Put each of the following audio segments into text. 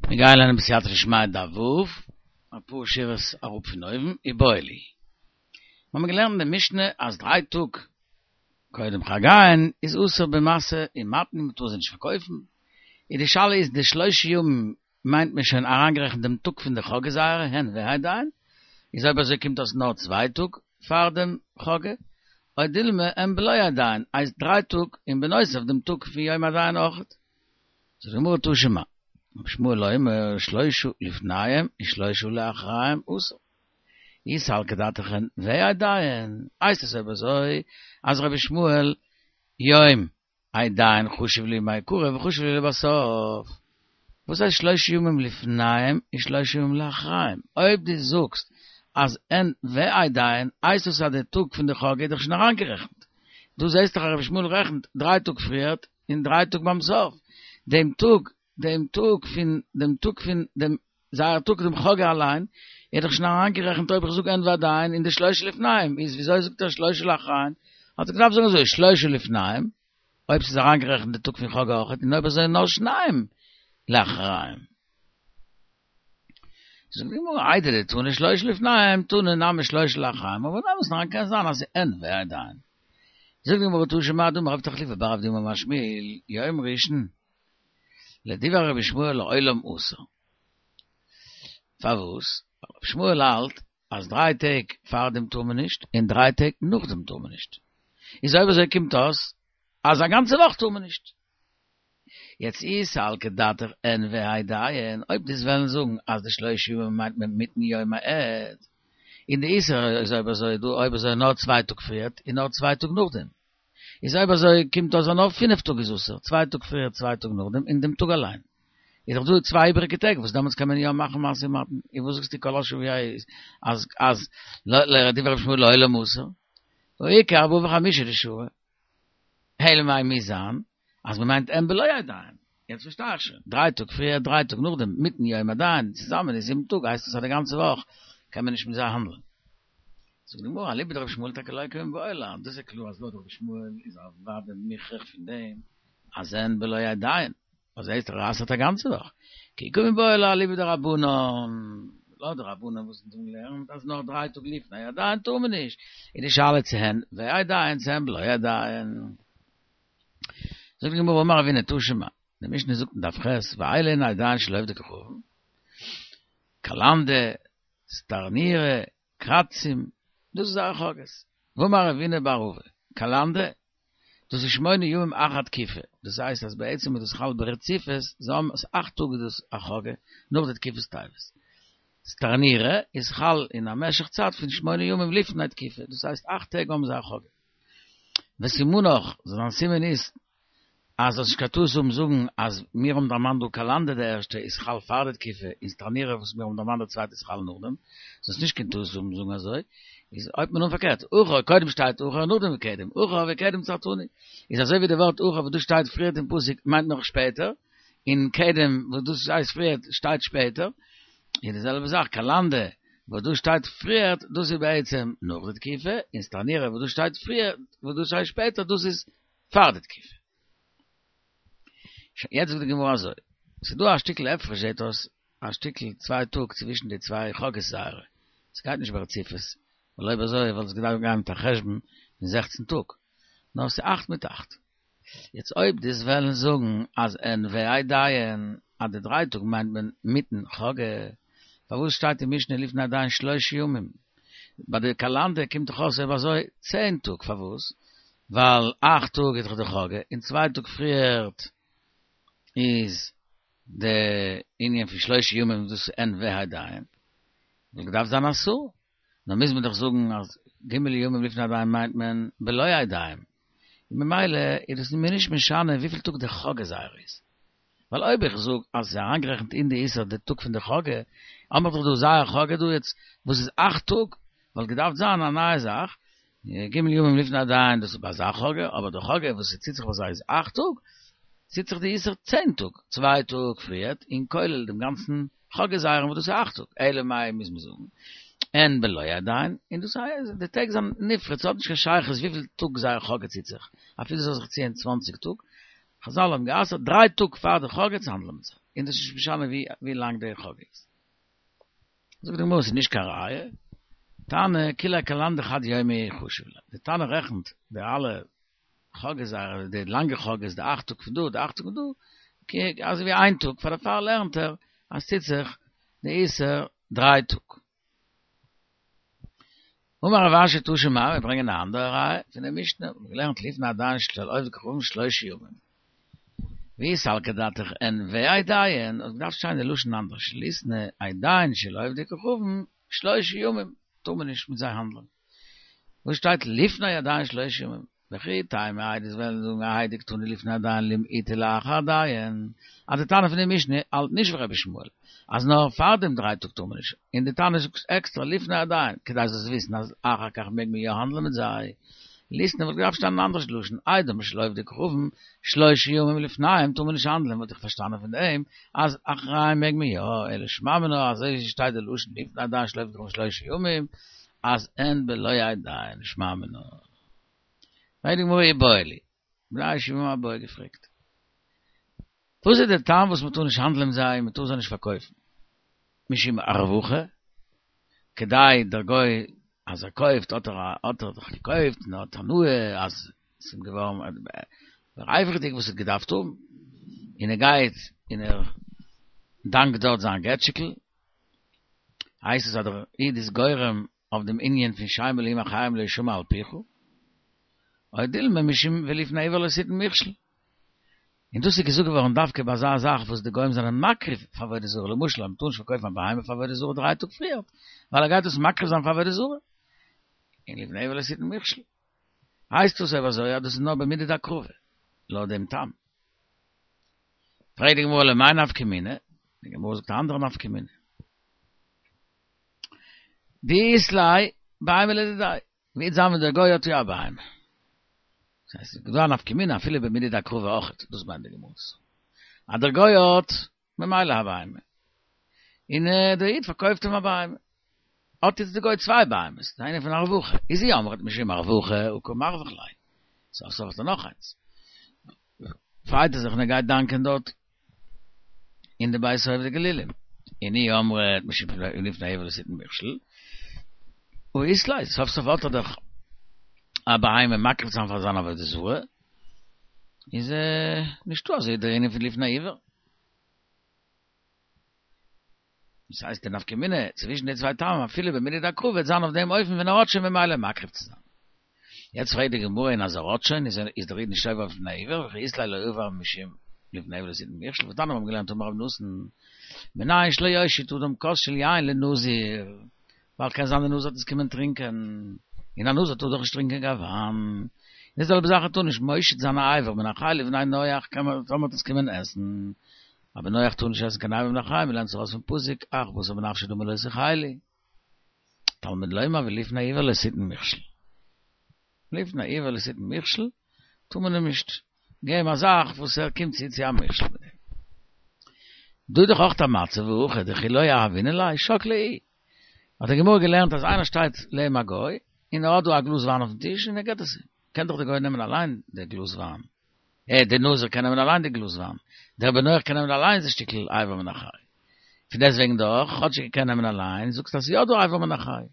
מיר גייען לערנען בסייעתא דשמיא דף ו', אפאר שורות אראפ פון אויבן, איבעיא להו. מיר האבן געלערנט אין די משנה אז דריי טאג קודם חגיהן איז אסור במשא ומתן, מען טאר זיי נישט פארקויפן, און די שאלה איז די שלושה ימים מיינט מען שוין אריינגערעכנט דעם טאג פון די חגא זייערע הן והעדיים, איז אויב אזוי קומט אויס נאר צוויי טאג פאר דעם חגא, או דילמא הן בלא העדיים הייסט דריי טאג און בנוסף דעם טאג פון יום העדיים אויכעט. זאגט די גמרא תא שמע, רבי ישמעאל אומר שלושה לפניהם ושלושה לאחריהם אסור. אי סלקא דעתך הן והעדיים, הייסט עס אויב אזוי אז רבי ישמעאל יום העדיים חשיב להו מעיקרא וחשיב להו לבסוף. וואס הייסט שלושה ימים לפניהם ושלושה ימים לאחריהם? אויב דו זאגסט אז הן והעדיים הייסט עס אז די טאג פון די חגא איז דאך שוין אריינגערעכנט. דו זעסט דאך אז רבי ישמעאל רעכנט דריי טאג פריערט און דריי טאג ביים סוף, דעם טאג, דעם טאג פון, דעם טאג פון דעם, זייער טאג דעם חגא אליין, איז דאך שוין אריינגערעכנט אויב איך זאג הן והעדיים אין די שלושה לפניהם, איז וויאזוי זאגט ער שלושה לאחריהם? האט ער געדארפט זאגן אזוי, שלושה לפניהם, אויב ס'איז אריינגערעכנט די טאג פון חגא אויכעט, און אויב אזוי נאר שניים לאחריהם. זאגט די גמרא, איידי דתנא שלושה לפניהם, תנא נמי שלושה לאחריהם, אבער אין אמת'ן אריין קען זיין אז ס'איז הן והעדיים. זאגט די גמרא תא שמע דאמר רב תחליפא בר אבדימי אמר שמואל, יום ראשון, לדברי רבי ישמעאל לעולם אסור. פארוואס? ווייל רבי ישמעאל האלט אז דריי טעג פארדעם טאר מען נישט, און דריי טעג נאכדעם טאר מען נישט. איז אויב אזוי קומט אויס אז א גאנצע וואך טאר מען נישט. יעצט אי סלקא דעתך הן והעדיים, אויב דו'סט וועלן זאגן אז די שלושה ימים מיינט מען מיטן יום העד, און די איסור איז אויב אזוי דא אויב אזוי נאר צוויי טאג פריערט און נאר צוויי טאג נאכדעם, איז אויב אזוי קומט אויס אז נאר פינף טאג איז אסור, צוויי טאג פריערט צוויי טאג נאכדעם און דעם טאג אליין. איז דאך דא צוויי איבעריגע טעג וואס דעמאלטס קען מען יא מאכן משא ומתן, און וואס זאגסטו כל השבוע איז אז אז לדברי רבי ישמעאל לעולם אסור, והא איכא ארבעה וחמישה דשרו. אלא מאי מוז זיין אז מען מיינט הן בלא העדיים, יעצט פארשטיי איך שוין, דריי טאג פריער דריי טאג נאכדעם מיטן יום העדיים צוזאמען איז זיבן טאג הייסט עס אז די גאנצע וואך קען מען נישט מיט זיי האנדלען. זאגט די גמרא אליבא דרבי ישמעאל טאקע לא קמיבעיא לן, דאס איז קלאר אז לויט רבי ישמעאל איז אוודאי מוכרח פון דעם אז הן בלא העדיים, אז הייסט ער אסר'ט א גאנצע וואך, כי קמיבעיא לן אליבא דרבנן, לויט די רבנן וואס אונז האבן געלערנט אז נאר דריי טאג לפני העדיים טאר מען נישט, איז די שאלה צו הן והעדיים צו הן בלא העדיים. זאגט די גמרא אמר רבינא תא שמע, די משנה זאגט אין דף ח' ואלו הן העדיים של עובדי כוכבים, קלנדא, סטרנירא, קרצים, דאס איז זייער חגאות. ואמר רב הונא בר רבא, קלנדא, דאס איז שמונה ימים אחר תקיפה, דאס הייסט אז בעצם איז דאס חל ברציפות, זיי האבן עס אכט טאג איז דאס א חגא, נאך די תקופת טבת. סטרנירא איז חל אין א משך צייט פון שמונה ימים לפני תקיפה, דאס הייסט אכט טעג האבן זיי א חגא. וסימנך, זיין סימן איז אז זאלסט נישט קיין טעות האבן זאגן אז מיר האבן דערמאנט דא קלנדא די ערשטע איז חל פאר די תקיפה און סטרנירא וואס מיר האבן דערמאנט די צווייטע איז חל נאכדעם, זאלסט נישט קיין טעות האבן זאגן אזוי, איז הויבט מען אן פארקערט, אחור קודם שטייט אחור און נאכדעם וקדם, אחור וקדם צרתני, איז אזוי ווי די ווארט אחור וואס דא שטייט פריערט אין פסוק מיינט נאך שפעטער, און קדם וואס דאס הייסט פריערט שטייט שפעטער, איז די זעלבע זאך קלנדא וואס דא שטייט פריערט דאס איז בעצם נאך די תקיפה, און סטרנירא וואס דא שטייט פריערט וואס דא שטייט שפעטער דאס איז פאר די תקיפה. שוין, יעצט זאגט די גמרא אזוי, ס'איז דא א שטיקל הפרש זעט אויס, א שטיקל צוויי טאג צווישן די צוויי חגאות זייערע, ס'גייט נישט ברציפות, ווייל אויב אזוי וואלט עס געדארפט גיין מיט א חשבון פון זעכצן טאג, נאר ס'איז אכט מיט אכט. יעצט אויב דו'סט וועלן זאגן אז הן והעדיים, אז די דריי טאג מיינט מען מיטן חגא, פארוואס שטייט אין משנה לפני העדיים שלושה ימים? ביי די קלנדא קומט דאך אויס אויב אזוי צען טאג, פארוואס? ווייל אכט טאג איז דאך די חגא, און צוויי טאג פריערט איז די ענין פון שלושה ימים דאס איז הן והעדיים, וואלט געדארפט זיין עשרה, נאר מוז מען דאך זאגן אז ג' ימים לפני העדיים מיינט מען בלא העדיים, און ממילא איז דאס מיר נישט משנה וויפיל טאג די חגא זייער איז. ווייל אויב איך זאג אז ס'איז אריינגערעכנט אין די איסור די טאג פון די חגא, האמער דאך דא זייער חגא דא יעצט וואס איז אכט טאג, וואלט געדארפט זיין א נייע זאך, ג' ימים לפני העדיים דאס איז ביי אזא חגא, אבער די חגא וואס ס'ציט זיך ביי זיי איז אכט טאג, ציט זיך די איסור צען טאג, צוויי טאג פריערט, און כולל דעם גאנצן חגא זייערן וואס דאס איז אכט טאג, אלא מאי מוז מען זאגן, הן בלא העדיים, און דאס הייסט די טעג זענען נפרד, ס'האט נישט קיין שייכות וויפיל טאג זייער חגא ציט זיך, אפילו ס'זאל זיך ציען צוואנציג טאג, חזל האבן גע'אסר'ט דריי טאג פאר די חגא צו האנדלען מיט זיי. און דאס איז נישט משנה ווי לאנג די חגא איז. זאגט די גמרא ס'איז נישט קיין ראיה, תנא כוליה קלנדא חד יומא חשיב ליה, די תנא רעכנט די אלע חגאות זייערע, די לאנגע חגאות, די אכט טאג פון דא, די אכט טאג פון דא, אזוי ווי איין טאג, פאר דערפאר לערנט ער אז ס'טוט זיך די איסור דריי טאג. אמר רב אשי תא שמע, מיר ברענגען א אנדערע ראיה פון די משנה, מיר האבן געלערנט לפני עדיים של עובדי כוכבים שלושה ימים. ואי סלקא דעתך אין והעדיים, האט געדארפט שטיין די לשון אנדערש, ליתני עדיים של עובדי כוכבים שלושה ימים, טאר מען נישט מיט זיי האנדלען. וואס שטייט לפני עדיים שלושה ימים? וכי תימא איי דו'סט וועלן זאגן האי דקתני לפני עדיים למעוטי לאחר עדיים, אז די תנא פון די משנה האלט נישט ווי רבי ישמעאל אז נאר פאר דעם דריי טאג טאר מען נישט, און די תנא זאגט עקסטרא לפני עדיים כדי זאלסט וויסן אז אחר כך מעג מען יא האנדלען מיט זיי, ליתני וואלט געדארפט שטיין אן אנדערש לשון עדים של עובדי כוכבים שלושה ימים לפניהם טאר מען נישט האנדלען וואלט איך פארשטאנען פון דעם אז אחריהם מעג מען יא, אלא שמע מינה אזוי שטייט די לשון לפני עדיים של עובדי כוכבים שלושה ימים אז אין בלא עדיים שמע מינה. פרעגט די גמרא איבעיא להו, בני הישיבה האבן א בעיא געפרעגט, וואס איז דער טעם וואס מען טאר נישט האנדלען מיט זיי, מען טאר זיי נישט פארקויפן, משום הרווחה, כדי דער גוי אז ער קויפט האט ער האט ער דאך געקויפט און ער האט הנאה אז עס איז אים געווארן רווח'דיג וואס ער האט געדארפט האבן, און ער גייט און ער דאנקט דארט זיין געטשיקל, הייסט עס אז דער איד איז גורם אויף דעם ענין פון שם אלהים אחרים לא ישמע על פיך, או דילמא משום ולפני עור לא תתן מכשול. און דאס איז געזאגט געווארן דווקא ביי אזא זאך וואס די גוים זענען מקריב פאר עבודה זרה, למשל אז מ'טאר נישט פארקויפן א בהמה פאר עבודה זרה דריי טאג פריער, ווייל ער גייט דאס מקריב זיין פאר עבודה זרה, און לפני עור לא תתן מכשול. הייסט דאס אויב אזוי אז דאס איז נאר במידי דהקרבה, לויט דעם טעם. פרעגט די גמרא למאי נפקא מינה, די גמרא זאגט א אנדערע נפקא מינה. דאית ליה בהמה לדידיה, וועט זיין ווען דער גוי האט יא א בהמה. דאס הייסט ס'איז דא א נפקא מינה אפילו במידי דהקרבה אויכעט, דאס מיינט די גמרא. אז דער גוי האט ממילא א בהמה, און דער איד פארקויפט אים א בהמה, האט יעצט דער גוי צוויי בהמות, איינע פון הרווחה, איז אי אמרת משום הרווחה הא קא מרווח ליה, סוף סוף האט ער נאך איינס. פרייט ער זיך און ער גייט דאנקען דארט אין די בית עובדי גלילים, און אי אמרת משום לפני עור לא תתן מכשול, הא אית ליה, סוף סוף האט ער דאך א בהמה מקריב זיין פאר זיין עבודה זרה, איז נישטא אזוי דער ענין פון לפני עור. דאס הייסט די נפקא מינה צווישן די צוויי טעמים אפילו במידי דהקרבה וועט זיין אויף דעם אופן ווען ער האט שוין ממילא מקריב צו זיין. יעצט פרעגט די גמרא און אז ער האט שוין איז איז דער איד נישט עובר אויף לפני עור וכי אית ליה לא עבר משום לפני עור לא תתן מכשול והתניא מיר האבן געלערנט אמר רבי נתן מנין שלא יושיט אדם כוס של יין לנזיר ווייל קען זיין די נזיר וועט עס קומען טרינקען און א נזיר טאר דאך נישט טרינקען קיין וויין די זעלבע זאך ער טאר נישט מושיט זיין א אבר מן החי לבני נח קען מען טאמער וועט עס קומען עסן אבער נח טאר נישט עסן קיין אבר מן החי, מ'לערנט זיך ארויס פון פסוק, אך בשר בנפשו דמי לא תאכלו. תלמוד לומר ולפני עור לא תתן מכשול. לפני עור לא תתן מכשול, טאר מען אים נישט געבן א זאך וואס ער קומט צו צו א מכשול מיט דעם. דא איז דאך אויך א מצב והכא דכי לא יהבינן ליה שקלה איהו. האט די גמרא געלערנט אז איינער שטייט לעבן א גוי, און ער האט דא א גלאז וויין אויפן טיש און ער געבט עס אים. קען דאך דער גוי נעמען אליין די גלאז וויין. אה, דער נזיר קען נעמען אליין די גלאז וויין, דער בן נח קען נעמען אליין די שטיקל אבר מן החי. פון דעסטוועגן דאך, כאטש ער קען נעמען אליין, זאגסטו אז ס'איז יא דא אבר מן החי.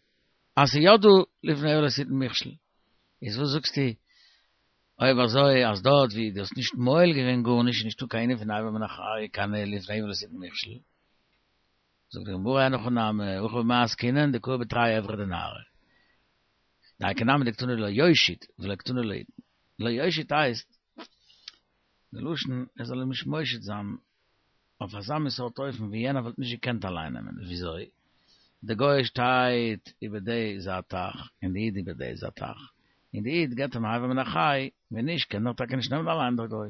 אז ס'איז יא דא לפני עור לא תתן מכשול. איז וואס זאגסטו אויב אזוי אז דארט ווי דו האסט נישט מועל געווען גארנישט איז נישטא קיין ענין פון אבר מן החי, קיין לפני עור לא תתן מכשול? זאגט די גמרא אין הכי נמי, הכא במאי עסקינן דקאי בתרי עברי דנהרא. דאיכא נמי דקתני לא יושיט ולא קתני לא יתן. לא יושיט הייסט, די לשון ער זאל אים נישט מושיט זיין אויף אזא מין סארט אופן ווי יענער וואלט נישט געקענט אליין נעמען. וויאזוי? די גוי שטייט איבער די זייט טייך און די איד איבער די זייט טייך, און די איד געבט אים אבר מן החי, ווען נישט קען ער טאקע נישט נעמען אליין דער גוי.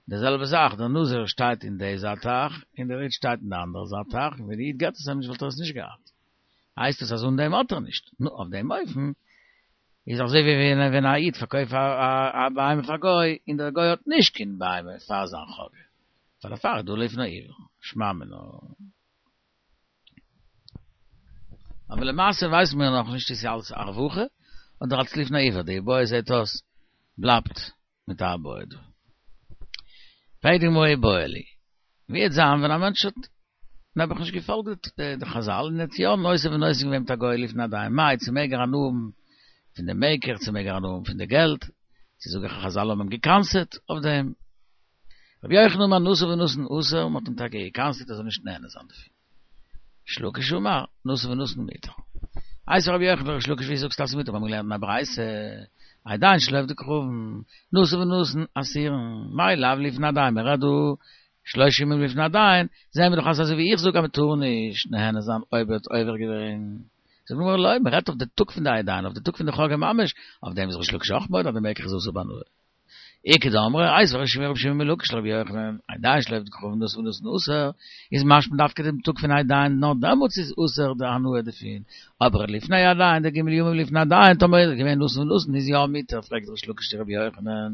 די זעלבע זאך דער נזיר שטייט אין די זייט טייך און דער איד שטייט אין די אנדערע זייט טייך, און ווען די איד געבט עס אים נישט וואלט ער עס נישט געהאט. הייסט עס אז אן דעם האט ער נישט. נו, אויף דעם אופן איז אזוי ווי ווען א איד פארקויפט א בהמה פאר גוי און דער גוי האט נישט קיין בהמה פאר זיין חגא. פאר דערפאר איז דא לפני עור. שמע מינה. אבער למעשה ווייסן מיר נאכנישט צו ס'איז אלס הרווחה אדער אלס לפני עור. די איבעיא זעט אויס בלייבט מיט א איבעיא דא. פרעגט די גמרא איבעיא להו. ווי וועט זיין ווען א מענטש האט נעבעך נישט געפאלגט די חזל און האט יא נושא ונותן געווען מיט א גוי לפני הדיין, מאי צו מעג ער הנאה האבן פון די מקח צו מעג ער הנאה האבן פון די געלט, צו זאג איך אז חזל האבן אים גע'קנס'עט אויף דעם. רבי יוחנן אמר נשא ונתן אסור, מען האט אים טאקע גע'קנס'עט ער זאל נישט נהנה זיין דערפון. ריש לקיש אמר, נשא ונתן מותר. איתיביה רבי יוחנן לריש לקיש ווי זאגסטו אז ס'איז מותר? מיר האבן געלערנט אין א ברייתא, עדיים של עובדי כוכבים, נשא ונתן אסורין, מאי לאו לפני הדיין, מען רעדט דא שלושה ימים לפני הדיין, זעהן מיר דאך אז אזוי ווי איך זאג אז מען טאר נישט נהנה זיין אויב ער האט עובר געווען. זאגט די גמרא לא, מען רעדט אויף די טאג פון די עדיים, אויף די טאג פון די חגא ממש, אויף דעם איז ריש לקיש אויך מודה אז די מקח איז אסור בהנאה. איכא דאמרי, איתיביה רבי שמעון רבי שמעון מלקיש לרבי יוחנן, עדיים של עובדי כוכבים נשא ונתן אסור, איז משמע דווקא דעם טאג פון עדיים נאר דעמאלטס איז אסור די הנאה דערפון, אבער לפני הדיין די ג' ימים לפני הדיין טאמער איז געווען נשא ונתן איז יא מותר, פרעגט ריש לקיש צו רבי יוחנן,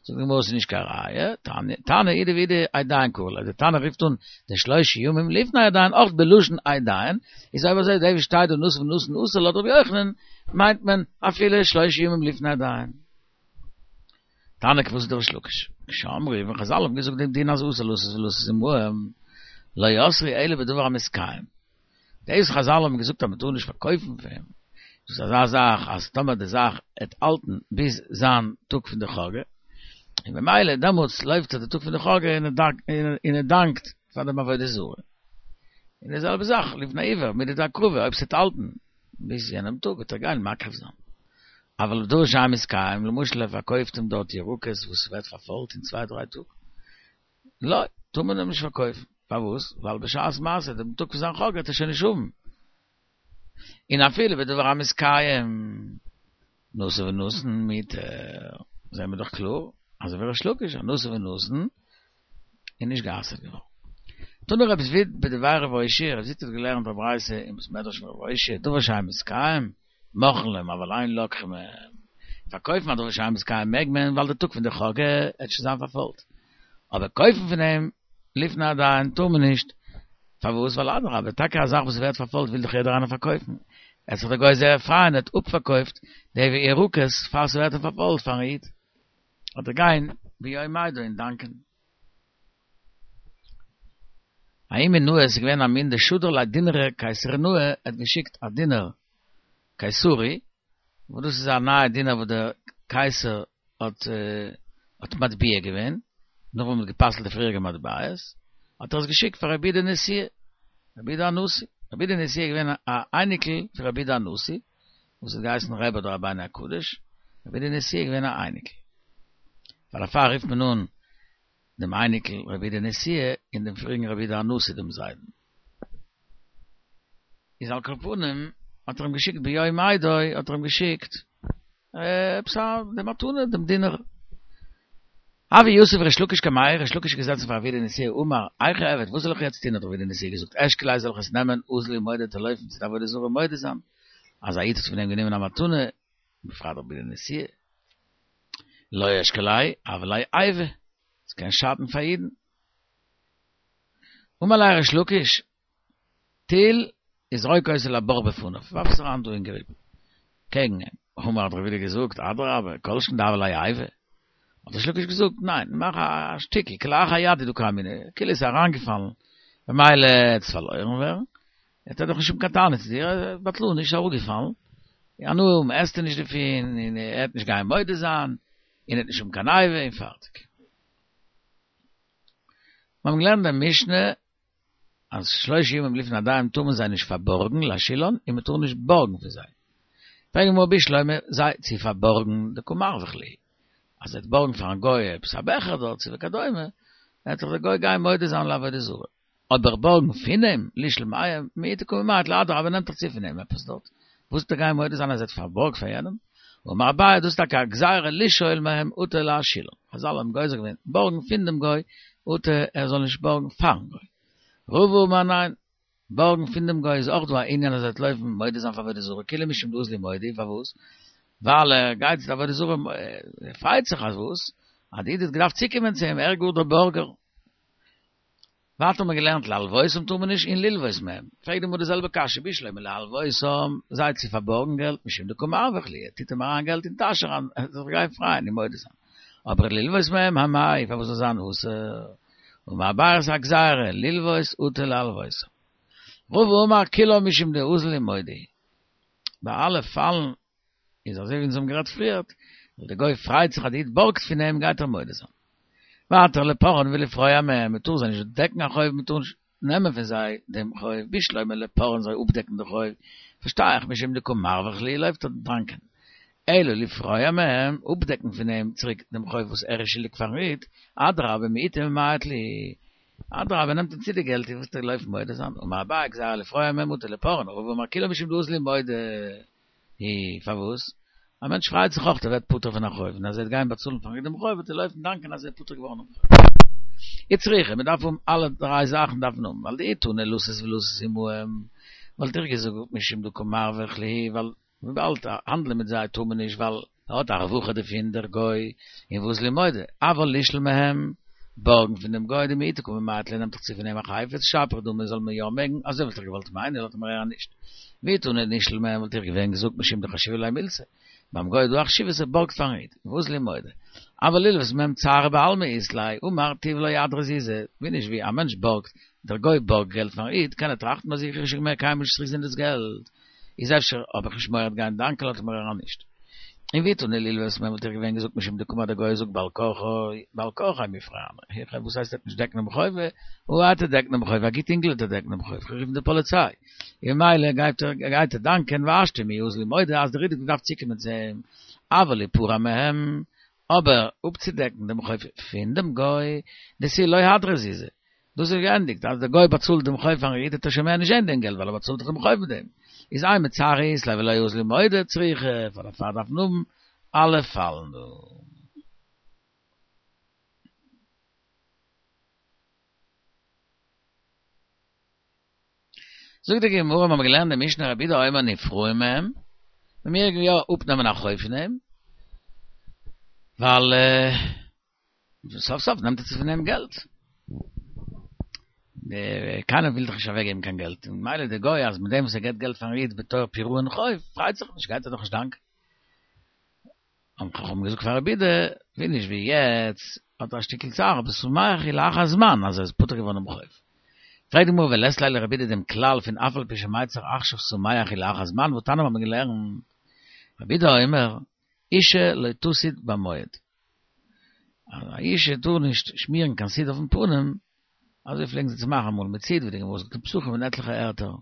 זאגט די גמרא ס'איז נישט קיין ראיה, תנא אידי ואידי עדיים קרי לה, די תנא רופט אן די שלושה ימים לפני הדיין אויך בלשון עדיים, איז אויב אזוי דאס וואס שטייט דא נשא ונתן אסור לויט רבי יוחנן מיינט מען אפילו שלושה ימים לפני הדיין. תניא כוותיה דריש לקיש. כשאמרו ווען חזל האבן געזאגט דעם דין אז אסור לשאת ולתת עמהם, לא אסרו אלא בדבר המתקיים. דאס חזל האבן געזאגט אז מען טאר נישט פארקויפן פון אים, דאס איז אזא זאך אז טאמער די זאך עט האלטן ביז זיין טאג פון די חגא, און במילא דעמאלטס לויפט ער די טאג פון די חגא און ער דאנקט פאר דעם עבודה זרה. און די זעלבע זאך לפני עיוור מידי דהקרבה אויב ס'עט האלטן ביז יענעם טאג וועט ער גיין מקריב זיין. אבל בדבר שאין מתקיים, למשל ער פארקויפט אים דארט ירקות וואס ווערט פארפוילט אין צוויי דריי טאג, לא, טאר מען אים נישט פארקויפן. פארוואס? ווייל בשעת מעשה, דעם טאג פון זיין חגא וועט ער שוין נישט האבן. און אפילו בדבר המתקיים, נשא ונתן מותר, זעהן מיר דאך קלאר, אזוי ווי ריש לקיש, אז נשא ונתן איז נישט גע'אסר'ט געווארן. תנא רב זביד בדבי רב אושעיא, רב זביד האט געלערנט א ברייתא אין בית מדרש פון רב אושעיא, דבר שאין מתקיים, מוכרין להם אבל אין לוקחין מהם. פארקויפן א דבר שאין מתקיים מעג מען ווייל די טאג פון די חגא עט שוין זיין פארפוילט. אבער קויפן פון אים לפני הדיין טאר מען נישט. פארוואס? ווייל אדרבה, טאקע א זאך וואס ווערט פארפוילט וויל דאך יעדער איינער פארקויפן. עט זיך דער גוי זייער פרייען ער האט אפפארקויפט די ירקות פאר ס'ווערט אים פארפוילט פארן איד. וועט ער גיין ביום מועדו און דאנקען. ההוא מינאי עס איז געווען א מין דשדר ליה דינרא קיסרינאי ער האט געשיקט א דינר קיסרי וואס דאס איז א נייע דינר וואס דער קייסער האט האט מטביע געווען נאך וואס מען האט גע'פסל'ט די פריעריגע מטבעות האט ער עס געשיקט פאר רבי יהודה נשיאה רבי יהודה הנשיא רבי יהודה נשיאה איז געווען א אייניקל פון רבי יהודה הנשיא וואס האט געהייסן רבי אדער רבינו הקדוש, רבי יהודה נשיאה איז געווען א אייניקל. ווייל דערפאר רופט מען אן דעם אייניקל רבי יהודה נשיאה און דעם פריעריגן רבי יהודה הנשיא דעם זיידן. איז על כל פנים האט ער אים געשיקט ביום מועדו האט ער אים געשיקט עפעס א די מתנה דעם דינר. הוה יתיב ריש לקיש קמיה, ריש לקיש איז געזעצן פאר רבי יהודה נשיאה אמר, היכי אעביד, וואס זאל איך יעצט טון האט רבי יהודה נשיאה געזאגט אשקליה זאל איך עס נעמען אזיל ומודה צו לויפן צו די עבודה זרה מודה זיין אז א איד האט פון אים גענומען א מתנה, בפרט רבי יהודה נשיאה. לא אשקליה, הוה ליה איבה, עס קען שאטן פאר אידן. אמר ליה ריש לקיש, טול וזרוק אותו לבור בפניו, ווארף עס אריין דא אין גריב, קעגן אים. אמר האט רבי יהודה געזאגט, אדרבה, כל שכן דהוה ליה איבה. האט ריש לקיש געזאגט, ניין, מאך א שטיקל, כלאחר יד הוא דקאמינא, כאילו עס איז אריינגעפאלן, במילא וועט עס פארלוירן ווערן, וועט ער דאך נישט האבן קיין טענה צו דיר, בטלנות איז אראפגעפאלן, הנאה האבן עסטו נישט דערפון, און ער וועט נישט גיין מודה זיין, און ער וועט נישט האבן קיין איבה, און פארטיג. מיר האבן געלערנט אין משנה אז שלושה ימים לפני הדיין טאר מען זיי נישט פארבארגן להשאילן און מען טאר נישט בארגן פון זיי. פרעגט די גמרא בשלמא זיי צו פארבארגן דקא מרווח להו, אז ער וועט בארגן פארן גוי עפעס א בעכער דארט צו וכדומה, וועט דאך דער גוי גיין מודה זיין לעבודה זרה. אבער בארגן פון אים, לישאל מהם, מיעוטי קא ממעט ליה, אדרבה נעמט דאך צו פון אים עפעס דארט, וואס וועט ער גיין מודה זיין אז ער האט פארבארגט פאר יענעם? אמר אביי, דאס איז טאקע א גזירה לשאול מהם אטו להשאילן, חזל האבן גוזר געווען בארגן פון דעם גוי, אטו ער זאל נישט בארגן פארן גוי. רבא אמר ניין, בארגן פון דעם גוי איז אויך דא א ענין אז ער וועט לויפן מודה זיין פאר עבודה זרה, כולהו משום דאזלי מודי, פארוואס? ווייל ער גייט צו די עבודה זרה, ער פרייט זיך אז וואס? אז די איד האט געדארפט צוקומען צו אים, ער איז גאר דער בארגער. ווייטער האט מען געלערנט להלוותם טאר מען נישט און ללוות מהם, פרעגט די גמרא די זעלבע קשיא בשלמא להלוותם, זיי צו פארבארגן געלט משום דקא מרווח להו, ער טוט אים אריין געלט אין טאש אריין, ער זאל זיך גיין פרייען און מודה זיין, אבער ללוות מהם אמאי, פארוואס זאל זיין אסור? אמר אביי ס'איז א גזירה, ללוות אטו להלוותם. רבא אמר כולה משום דאזלי מודי. ביי אלע פאלן איז אזוי ווי אונז האבן גערעדט פריערט, ווייל די גוי פרייט זיך אז די איד בארגט פון אים גייט ער מודה זיין. ווייטער לפורען ולפרוע מהם, מען טאר זיי נישט דעקן א חוב, מען טאר נישט נעמען פון זיי דעם חוב, בשלמא לפורען זיי אפדעקן די חוב, פארשטיי איך משום דקא מרווח להו לויפט ער דאנקען. אלא לפרוע מהם, אפדעקן פון אים צוריק דעם חוב וואס ער איז שולדיג פארן איד, אדרבה מיעוטי ממעט להו, אדרבה נעמט אים צו די געלט, וואס וועט ער לויפן מודה זיין, אמר אביי גזירה לפרוע מהם אטו לפורען, רבא אמר כולה משום דאזלי מודי. הי, פארוואס? א מענטש פרייט זיך אויך ער ווערט פטור פון א חוב, און אז ער וועט גיין באצאלן פארן איד דעם חוב וועט ער לויפן דאנקען אז ער איז פטור געווארן דעם חוב. וצריכא, מען דארף האבן אלע דריי זאכן דארף מען האבן, ווייל דאי תנא לתת ולתת עמהם, וואלט איך געזאגט משום דקא מרווח להו, ווייל וויבאלד האנדלען מיט זיי טאר מען נישט ווייל ער האט א רווחה דערפון דער גוי, און ואזלי מודי, אבל לישאל מהם, בארגן פון דעם גוי דמיעוטי קא ממעט להו נעמט דאך צו פון אים א חפץ, שפיר דמי זאל מען יא מעגן, אזוי וואלט איך געוואלט מיינען, לויט מהר"א נישט. ואי תנא לישאל מהם וואלט איך געווען געזאגט משום דחשיבא ליה מילתא, ביים גוי איז דא א חשיבות ער בארגט פארן איד, ואזלי מודי. אבל ללוות מהם צערא בעלמא אית ליה, אמר תיב לא אהדריה זוזי, ווי נישט ווי, א מענטש בארגט, דער גוי בארגט געלט פארן איד, קען ער טראכטן ביי זיך איך וועל שוין מער קיינמאל נישט צוריק זען דאס געלט, איז אפשר האב איך נישט מורא גיין דאנקען לויט מהר"א נישט. און ואי תנא ללוות מהם וואלט איך געווען געזאגט משום דקאמר דער גוי זאגט בעל כרחו בעל כרחיה מיפרענא היכי וואס הייסט ער וועט נישט דעקן דעם חוב וועט ער דעקן דעם חוב א גוט אינגל וועט ער דעקן דעם חוב איך רוף די פאליציי און ממילא גייט ער גייט ער דאנקען והשתא מיהא אזיל מודה אז דער איד האט געדארפט צוקומען צו אים אבל ליפרע מהם אבער אפצודעקן דעם חוב פון דעם גוי דאס איז לא הדרא זוזי דאס איז געענדיגט, אז דער גוי באצאלט דעם חוב פארן איד וועט ער שוין מער נישט זען דעם געלט ווייל ער באצאלט דאך דעם חוב מיט דעם, איז אימא צערא אית ליה ולא אזלי מודה צריכא, פאר דערפאר דארף מען האבן אלע פאלן דא. זאגט די גמרא, מיר האבן געלערנט די משנה רבי יהודה אומר נפרעין מהם, מען מעג יא אפנעמען א חוב פון אים, ווייל סוף סוף נעמט ער צו פון אים געלט. קיינער וויל דאך נישט אוועקגעבן קיין געלט, און ממילא דער גוי אז מיט דעם וואס ער געבט געלט פארן איד בתור פירעון חוב, פרייט זיך נישט, גייט ער דאך נישט דאנקען. האבן חכמים געזאגט פאר רבי יהודה, ווי נישט ווי יעצט האט ער א שטיקל צער, אבער שמח הוא לאחר זמן אז ער איז פטור געווארן דעם חוב. פרעגט די גמרא ולית ליה לרבי יהודה דעם כלל פון אף על פי שמיצר עכשיו שמח הוא לאחר זמן והתניא מיר האבן געלערנט רבי יהודה אומר אישה לא תסיט במועד אז א אישה טאר נישט שמירן קיין סיד אויפן פנים, אזוי פלעגן זיי צו מאכן אמאל מיט סיד ווי די גמרא זאגט אין פסחים און עטליכע ערטער,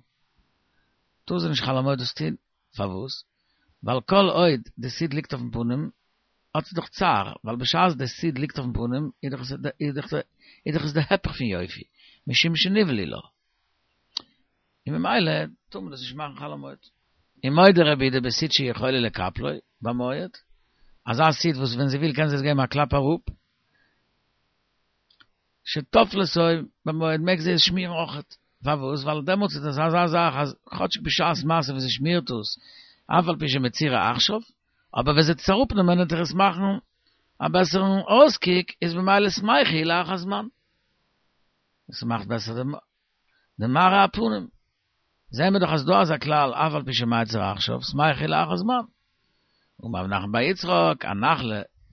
טאר זי נישט חול המועד דאס טון, פארוואס? ווייל כל עוד די סיד ליגט אויפן פנים האט זי דאך צער, ווייל בשעת די סיד ליגט אויפן פנים איז דאך עס די היפך פון יופי, משום שנבלו לה. און ממילא טאר מען דאס נישט מאכן חול המועד. ומודה רבי יהודה בסיד שיכולה לקפלו במועד, אזא סיד וואס ווען זי וויל קען זי עס געבן א קלאפ אראפ, שטופלתו במועד מעג זי עס שמירן אויכעט, פארוואס? ווייל דעמאלטס איז דאס אזא זאך אז כאטשיג בשעת מעשה ווען זי שמירט עס, אף על פי שמצירה עכשיו, אבער ווען זי וועט עס אראפנעמען וועט דאך עס מאכן א בעסערן אויסקוק, איז ממילא שמחה היא לאחר זמן. עס מאכט בעסער די מראה הפנים. זעהן מיר דאך אז דא אזא כלל אף על פי שמיצר עכשיו שמח הוא לאחר זמן. אמר רב נחמן בר יצחק, הנח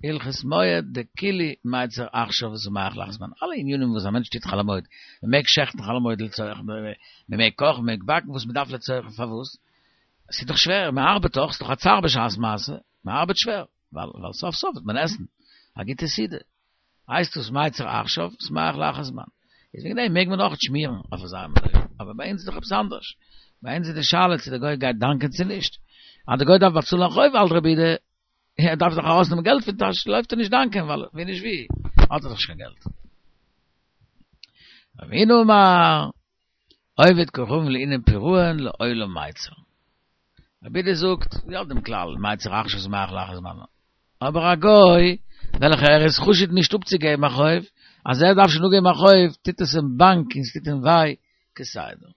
להלכות מועד דכולהו מיצר עכשיו ושמח לאחר זמן. אלע ענינים וואס א מענטש טוט חול המועד, מען מעג שעכטן חול המועד לצורך, מען מעג קאכן, מען מעג באקן וואס מען דארף לצורך, פארוואס? עס איז דאך שווער, מען ארבעט דאך, עס איז דאך א צער בשעת מעשה, מען ארבעט שווער, ווייל סוף סוף וועט מען עסן א גוטע סעודה. הייסט עס מיצר עכשיו, שמח לאחר זמן. איז וועגן דעם מעג מען אויך שמירן אויף אזא מין אופן. אבער ביי אונז איז דאך עפעס אנדערש. ביי אונז איז די שאלה צו די גוי גייט דאנקען צו נישט. אז די גוי דארף באצאלן א חוב האלט רבי יהודה, ער דארף דאך ארויסנעמען געלט פון טאש, לויפט ער נישט דאנקען ווייל ווי נישט ווי האט ער דאך נישט קיין געלט. רב הונא אמר, עובד כוכבים לענין פירעון לעולם מיצר. רבי יהודה זאגט, יא דעם כלל, מיצר עכשיו שמח לאחר זמן. אבער א גוי, וועלכער ער איז חשוד נישט אפצוגעבן א חוב, אז ער דארף שוין אפגעבן א חוב, טוט עס אים באנק און ס'טוט אים וויי כסדר.